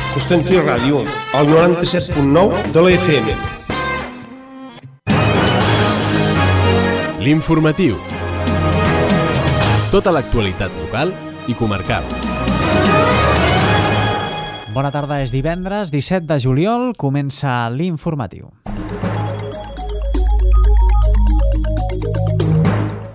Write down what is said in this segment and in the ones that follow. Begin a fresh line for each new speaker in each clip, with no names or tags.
Constantí Ràdio, al 97.9 de la FM.
L'informatiu. Tota l'actualitat local i comarcal.
Bona tarda, és divendres 17 de juliol, comença l'informatiu.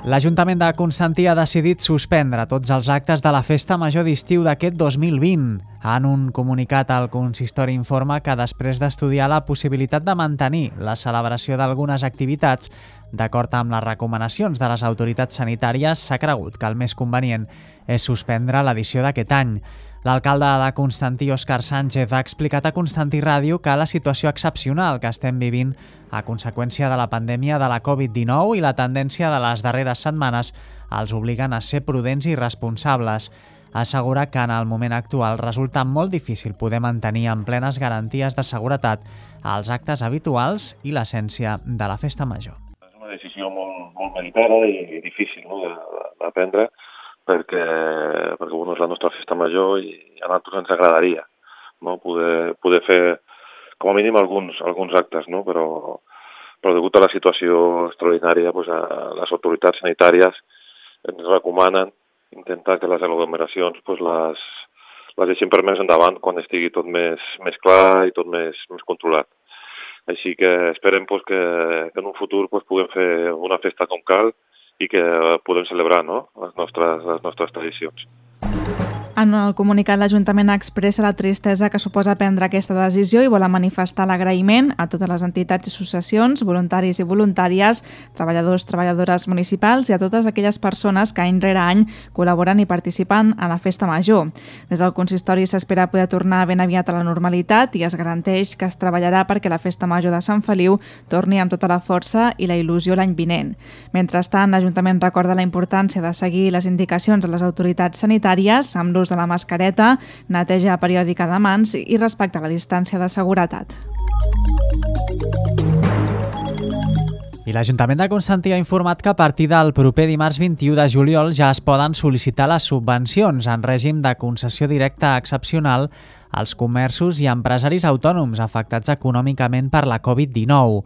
L'Ajuntament de Constantí ha decidit suspendre tots els actes de la Festa Major d'estiu d'aquest 2020. En un comunicat, el consistori informa que després d'estudiar la possibilitat de mantenir la celebració d'algunes activitats, d'acord amb les recomanacions de les autoritats sanitàries, s'ha cregut que el més convenient és suspendre l'edició d'aquest any. L'alcalde de Constantí, Òscar Sánchez, ha explicat a Constantí Ràdio que la situació excepcional que estem vivint a conseqüència de la pandèmia de la Covid-19 i la tendència de les darreres setmanes els obliguen a ser prudents i responsables. Assegura que en el moment actual resulta molt difícil poder mantenir amb plenes garanties de seguretat els actes habituals i l'essència de la festa major.
És una decisió molt meditada i difícil, no, de prendre, perquè bueno, és la nostra festa major i a nosaltres ens agradaria, no, poder fer com a mínim alguns actes, no, però degut a la situació extraordinària, pues, les autoritats sanitàries ens recomanen intentar que les aglomeracions pues, les deixin per més endavant quan estigui tot més clar i tot més controlat. Així que esperem pues, que en un futur pues, puguem fer una festa com cal i que podem celebrar, no, les nostres tradicions.
En el comunicat, l'Ajuntament expressa la tristesa que suposa prendre aquesta decisió i vol manifestar l'agraïment a totes les entitats i associacions, voluntaris i voluntàries, treballadors, treballadores municipals i a totes aquelles persones que any rere any col·laboren i participen a la Festa Major. Des del consistori s'espera poder tornar ben aviat a la normalitat i es garanteix que es treballarà perquè la Festa Major de Sant Feliu torni amb tota la força i la il·lusió l'any vinent. Mentrestant, l'Ajuntament recorda la importància de seguir les indicacions de les autoritats sanitàries amb l'ús de la mascareta, neteja periòdica de mans i respectar la distància de seguretat.
I l'Ajuntament de Constantí ha informat que a partir del proper dimarts 21 de juliol ja es poden sol·licitar les subvencions en règim de concessió directa excepcional als comerços i empresaris autònoms afectats econòmicament per la Covid-19.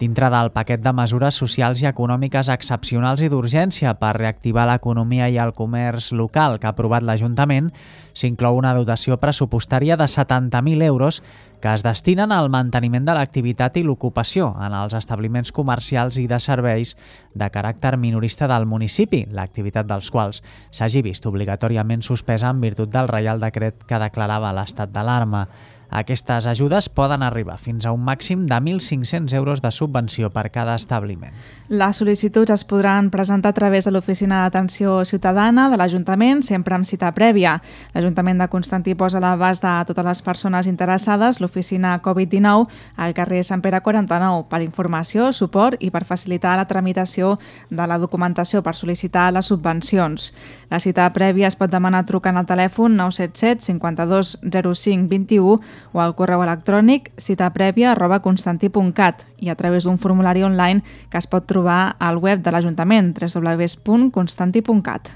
Dintre del paquet de mesures socials i econòmiques excepcionals i d'urgència per reactivar l'economia i el comerç local que ha aprovat l'Ajuntament, s'inclou una dotació pressupostària de 70.000 euros que es destinen al manteniment de l'activitat i l'ocupació en els establiments comercials i de serveis de caràcter minorista del municipi, l'activitat dels quals s'hagi vist obligatòriament suspesa en virtut del Reial Decret que declarava l'estat d'alarma. Aquestes ajudes poden arribar fins a un màxim de 1.500 euros de subvenció per cada establiment.
Les sol·licituds es podran presentar a través de l'Oficina d'Atenció Ciutadana de l'Ajuntament, sempre amb cita prèvia. L'Ajuntament de Constantí posa a l'abast de totes les persones interessades l'oficina Covid-19 al carrer Sant Pere 49 per informació, suport i per facilitar la tramitació de la documentació per sol·licitar les subvencions. La cita prèvia es pot demanar trucant al telèfon 977 52 05 21 o al correu electrònic citaprèvia@constantí.cat i a través d'un formulari online que es pot trobar al web de l'Ajuntament www.constantí.cat.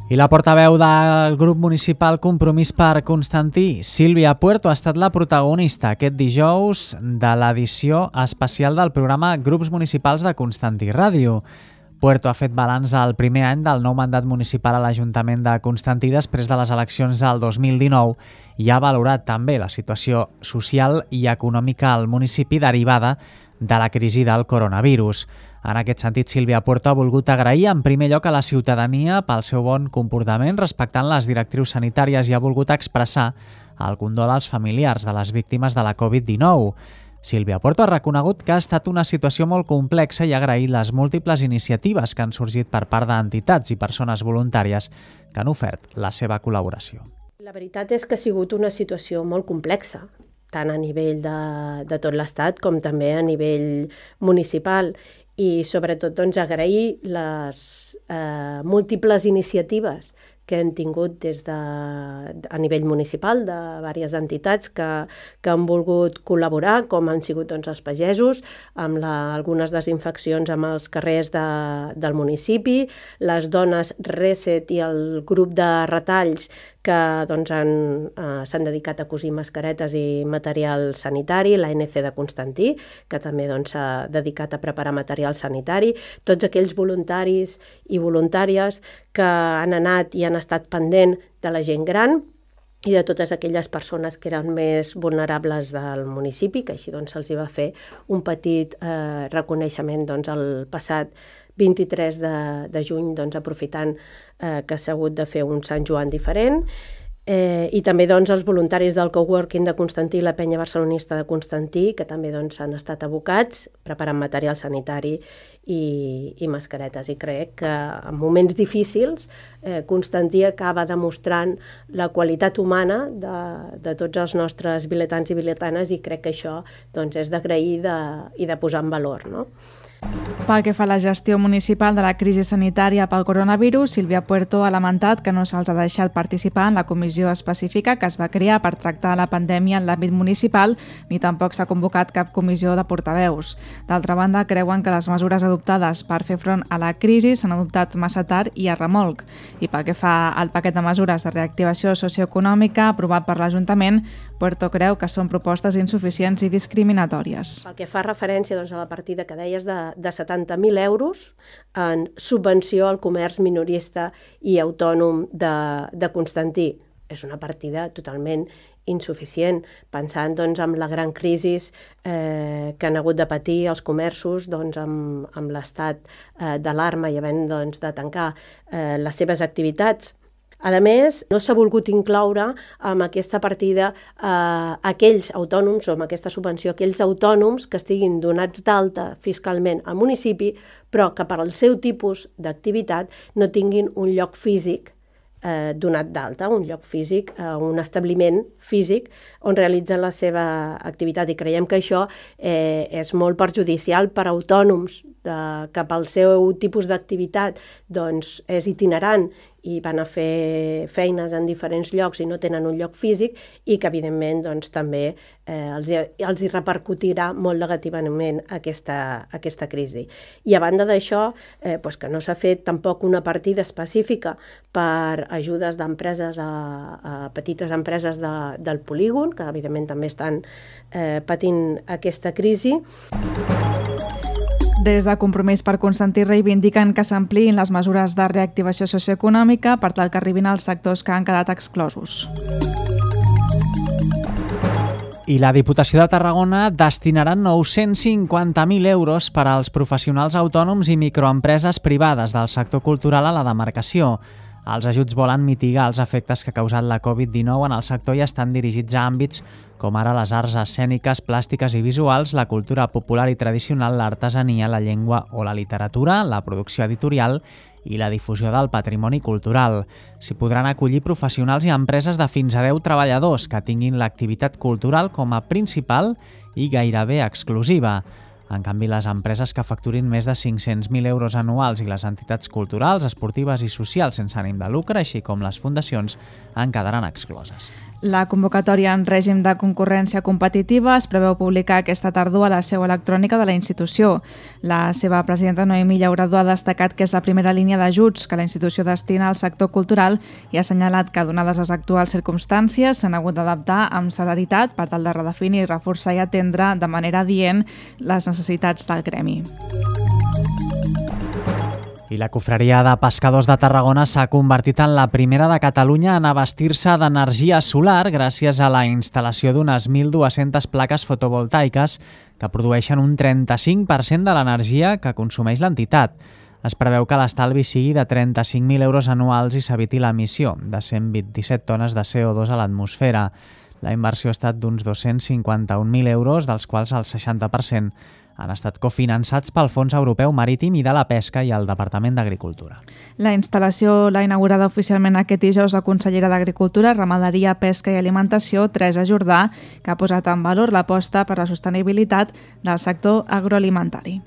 I la portaveu del grup municipal Compromís per Constantí, Sílvia Puerto, ha estat la protagonista aquest dijous de l'edició especial del programa Grups Municipals de Constantí Ràdio. Puerto ha fet balanç del primer any del nou mandat municipal a l'Ajuntament de Constantí després de les eleccions del 2019 i ha valorat també la situació social i econòmica al municipi derivada de la crisi del coronavirus. En aquest sentit, Sílvia Puerto ha volgut agrair en primer lloc a la ciutadania pel seu bon comportament respectant les directrius sanitàries i ha volgut expressar el condol als familiars de les víctimes de la Covid-19. Sílvia Puerto ha reconegut que ha estat una situació molt complexa i ha agraït les múltiples iniciatives que han sorgit per part d'entitats i persones voluntàries que han ofert la seva col·laboració.
La veritat és que ha sigut una situació molt complexa, tant a nivell de tot l'Estat com també a nivell municipal i sobretot doncs, agrair les múltiples iniciatives que hem tingut a nivell municipal de diverses entitats que han volgut col·laborar, com han sigut els pagesos, amb algunes desinfeccions amb els carrers del municipi, les dones Reset i el grup de retalls que que doncs, s'han dedicat a cosir mascaretes i material sanitari, l'ANC de Constantí, que també doncs, s'ha dedicat a preparar material sanitari, tots aquells voluntaris i voluntàries que han anat i han estat pendent de la gent gran i de totes aquelles persones que eren més vulnerables del municipi, que així doncs, se'ls va fer un petit reconeixement doncs, el passat 23 de juny, doncs, aprofitant que s'ha hagut de fer un Sant Joan diferent. I també doncs, els voluntaris del coworking de Constantí i la penya barcelonista de Constantí, que també doncs, han estat abocats preparant material sanitari i mascaretes. I crec que en moments difícils Constantí acaba demostrant la qualitat humana de tots els nostres vilatans i vilatanes, i crec que això doncs, és d'agrair i de posar en valor, no?
Pel que fa a la gestió municipal de la crisi sanitària pel coronavirus, Sílvia Puerto ha lamentat que no se'ls ha deixat participar en la comissió específica que es va crear per tractar la pandèmia en l'àmbit municipal, ni tampoc s'ha convocat cap comissió de portaveus. D'altra banda, creuen que les mesures adoptades per fer front a la crisi s'han adoptat massa tard i a remolc. I pel que fa al paquet de mesures de reactivació socioeconòmica aprovat per l'Ajuntament, Puerto creu que són propostes insuficients i discriminatòries.
Pel que fa referència doncs, a la partida que deies de 70.000 euros en subvenció al comerç minorista i autònom de Constantí, és una partida totalment insuficient, pensant doncs, en la gran crisi que han hagut de patir els comerços doncs, amb l'estat d'alarma i havent doncs, de tancar les seves activitats. A més, no s'ha volgut incloure amb aquesta partida aquells autònoms, o amb aquesta subvenció, aquells autònoms que estiguin donats d'alta fiscalment al municipi, però que per al seu tipus d'activitat no tinguin un lloc físic donat d'alta, un lloc físic, un establiment físic on realitzen la seva activitat. I creiem que això és molt perjudicial per a autònoms que pel seu tipus d'activitat doncs, és itinerant i van a fer feines en diferents llocs i no tenen un lloc físic, i que evidentment doncs, també els hi repercutirà molt negativament aquesta crisi. I a banda d'això, doncs, que no s'ha fet tampoc una partida específica per ajudes d'empreses a petites empreses del polígon, que evidentment també estan patint aquesta crisi.
Des de Compromís per Constantí reivindiquen que s'ampliïn les mesures de reactivació socioeconòmica per tal que arribin als sectors que han quedat exclosos.
I la Diputació de Tarragona destinarà 950.000 euros per als professionals autònoms i microempreses privades del sector cultural a la demarcació. Els ajuts volen mitigar els efectes que ha causat la Covid-19 en el sector i estan dirigits a àmbits com ara les arts escèniques, plàstiques i visuals, la cultura popular i tradicional, l'artesania, la llengua o la literatura, la producció editorial i la difusió del patrimoni cultural. S'hi podran acollir professionals i empreses de fins a 10 treballadors que tinguin l'activitat cultural com a principal i gairebé exclusiva. En canvi, les empreses que facturin més de 500.000 euros anuals i les entitats culturals, esportives i socials sense ànim de lucre, així com les fundacions, en quedaran excloses.
La convocatòria en règim de concurrència competitiva es preveu publicar aquesta tardor a la seu electrònica de la institució. La seva presidenta Noemí Llauradó ha destacat que és la primera línia d'ajuts que la institució destina al sector cultural i ha assenyalat que, donades les actuals circumstàncies, s'han hagut d'adaptar amb celeritat per tal de redefinir, reforçar i atendre de manera adient les necessitats del gremi.
I la Confraria de Pescadors de Tarragona s'ha convertit en la primera de Catalunya en abastir-se d'energia solar gràcies a la instal·lació d'unes 1.200 plaques fotovoltaiques que produeixen un 35% de l'energia que consumeix l'entitat. Es preveu que l'estalvi sigui de 35.000 euros anuals i s'eviti l'emissió de 127 tones de CO2 a l'atmosfera. La inversió ha estat d'uns 251.000 euros, dels quals el 60% han estat cofinançats pel Fons Europeu Marítim i de la Pesca i el Departament d'Agricultura.
La instal·lació l'ha inaugurada oficialment aquest dijous la consellera d'Agricultura, Ramaderia, Pesca i Alimentació, Teresa Jordà, que ha posat en valor l'aposta per la sostenibilitat del sector agroalimentari.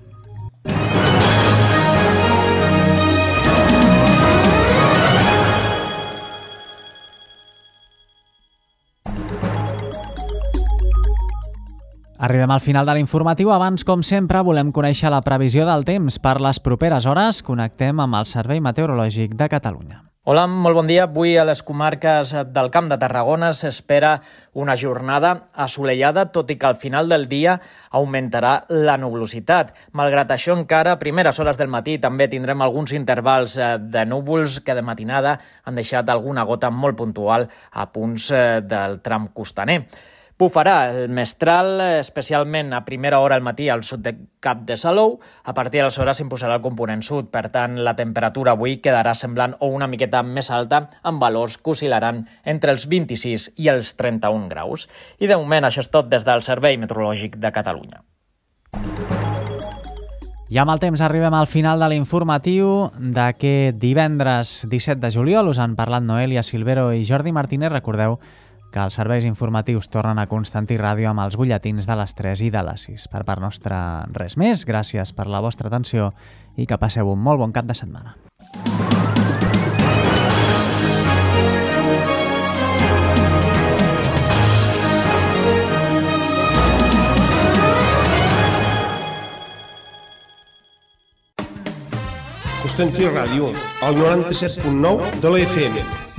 Arribem al final de l'informatiu. Abans, com sempre, volem conèixer la previsió del temps per les properes hores. Connectem amb el Servei Meteorològic de Catalunya.
Hola, molt bon dia. Avui a les comarques del Camp de Tarragona s'espera una jornada assolellada, tot i que al final del dia augmentarà la nuvolositat. Malgrat això, encara a primeres hores del matí també tindrem alguns intervals de núvols que de matinada han deixat alguna gota molt puntual a punts del tram costaner. Bufarà el mestral, especialment a primera hora al matí al sud de Cap de Salou. A partir d'aleshores s'imposarà el component sud. Per tant, la temperatura avui quedarà semblant o una miqueta més alta, amb valors que oscil·laran entre els 26 i els 31 graus. I de moment això és tot des del Servei Meteorològic de Catalunya.
I amb el temps arribem al final de l'informatiu d'aquest divendres 17 de juliol. Us han parlat Noelia Silvero i Jordi Martínez. Recordeu que els serveis informatius tornen a Constantí Ràdio amb els butlletins de les 3 i de les 6. Per part nostra, res més. Gràcies per la vostra atenció i que passeu un molt bon cap de setmana.
Constantí Ràdio, el 97.9 de la FM.